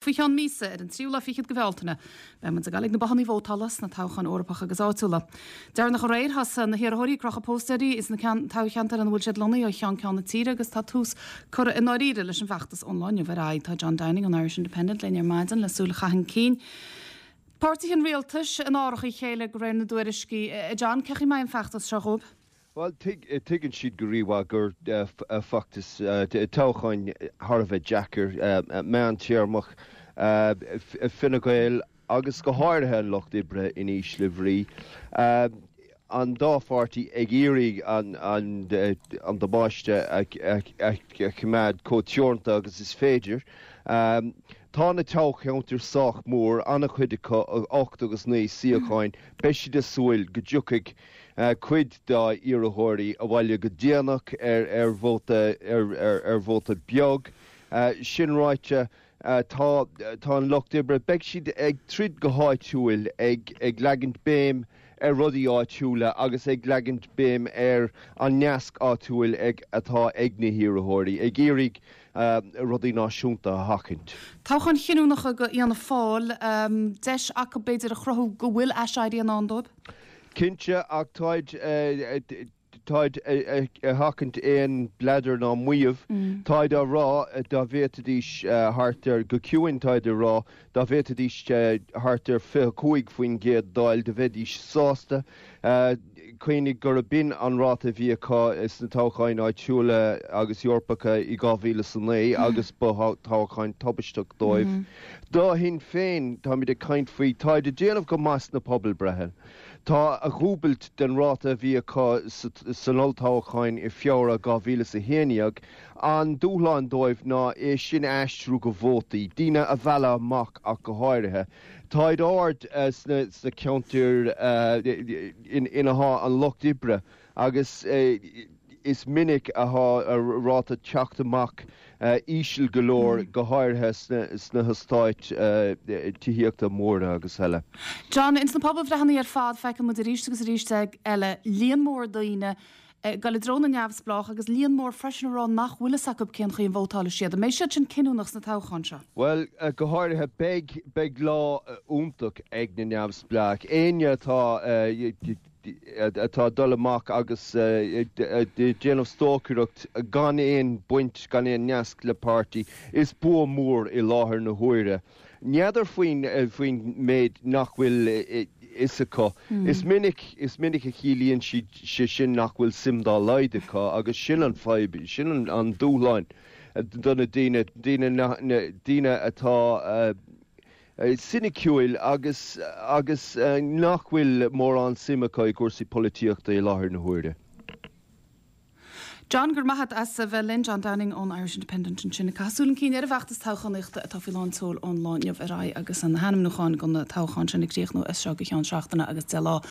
Faoi cheann míosa, ar an tríú lá fichead de Bhealtaine, beidh muid ag dul ag na bothanna vótála sna toghcháin Eorpacha agus áitiúla. Deireanach aréir, thosaigh na hiarrthóirí ag crochadh póstaeirí sna toghcheantair ina bhfuil siad lonnaithe ó cheann ceann na tíre agus tá tús curtha i ndáiríre leis an bhfeachtas ón lá inniu ar aghaidh. Tá John Downing ón Irish Independent linn ar maidin le súil a chaitheamh chun cinn. Páirtithe an rialtais in árach a chéile de réir na dtuairiscí. A John, cén chaoi a mbeidh an feachtas seo dhóibh? Bhuel, tuigeann siad go rímhaith gur feachtas toghcháin thar a bheith deacair, meántéarmach, Fine Gael agus go háirithe an Lucht Oibre in ísle bhrí, an dá pháirtí ag iarraidh an damáiste a choimeád chomh teoranta agus is féidir. Tá na toghcheantair sách mór, an-chuid acu, 8 agus 9 suíocháin, beidh siad ag súil go dtiocfaidh cuid dá iarrthóirí abhaile go déanach ar vóta ar vóta beag. Sin ráite, tá tá an Lucht Oibre, beidh siad ag troid go háitiúil, ag ag leagaint béim ar rudaí áitiúla agus ag leagaint béim ar an neasc áitiúil ag atá ag na hiarrthóirí, ag iarraidh rudaí náisiúnta a sheachaint. Toghcháin chinniúnacha do Fhianna Fáil, deis acu b'fhéidir a chruthú go bhfuil aiséirí i ndán dóibh? Cinnte, ach táid, táid ag seachaint aon bhleadar ná maíomh. Táid á rá dá bhféadfaidís thart ar, go ciúin táid á rá, dá bhféadfaidís thart ar 25% d'fháil do bheidís sásta. Cuimhnigh gurb in an ráta a bhí acu sna toghcháin áitiúla agus Eorpacha i 2009 agus ba toghchán tubaisteach dóibh. Do Shinn Féin, táimid ag caint faoi, táid ag déanamh go maith sna pobalbreitheanna. Tá a dhúbailt den ráta a bhí acu san olltoghchán i Feabhra 2011. An dúshlán dóibh ná é sin a aistriú go vótaí, daoine a mhealladh amach ach go háirithe. Táid ard sna ceantair ina thá an Lucht Oibre agus is minic athá ráta teacht amach íseal go leor, go háirithe sna heastáit tithíochta móra agus eile. John, ins na pobalbhreitheanna ar fad feiceann muid arís agus arís eile líon mór daoine ag dul i dtreo na neamhspleách agus líon mór freisin ag rá nach bhfuil fhios acu cén chaoi a vótálfaidh siad. An mbeidh siad sin cinniúnach sna toghcháin seo? Bhuel, go háirithe, beidh, beidh lá iontach ag na neamhspleách. Éinne atá, atá ag dul amach agus ag déanamh stocaireacht gan aon baint, gan aon neasc le páirtí, is bua mór i láthair na huaire. N'fheadar faoin faoin méid nach bhfuil fhios acu. Is minic, is minic a chiallaíonn sé sin nach bhfuil suim dá laghad acu agus sin an fadhb, sin an dúshlán do na daoine, daoine, daoine atá soiniciúil agus agus nach bhfuil mórán suim acu i gcúrsaí polaitíochta i láthair na huaire. John, Go raibh maith agat as a bheith linn. John Downing ón Irish Independent ansin ag caitheamh súil chun cinn ar an bhfeachtas toghchánaíochta atá faoi lán tseoil ón lá inniu ar aghaidh agus na hainmniúcháin do na toghcháin sin ag críochnú as seo go ceann seachtaine agus 10 lá.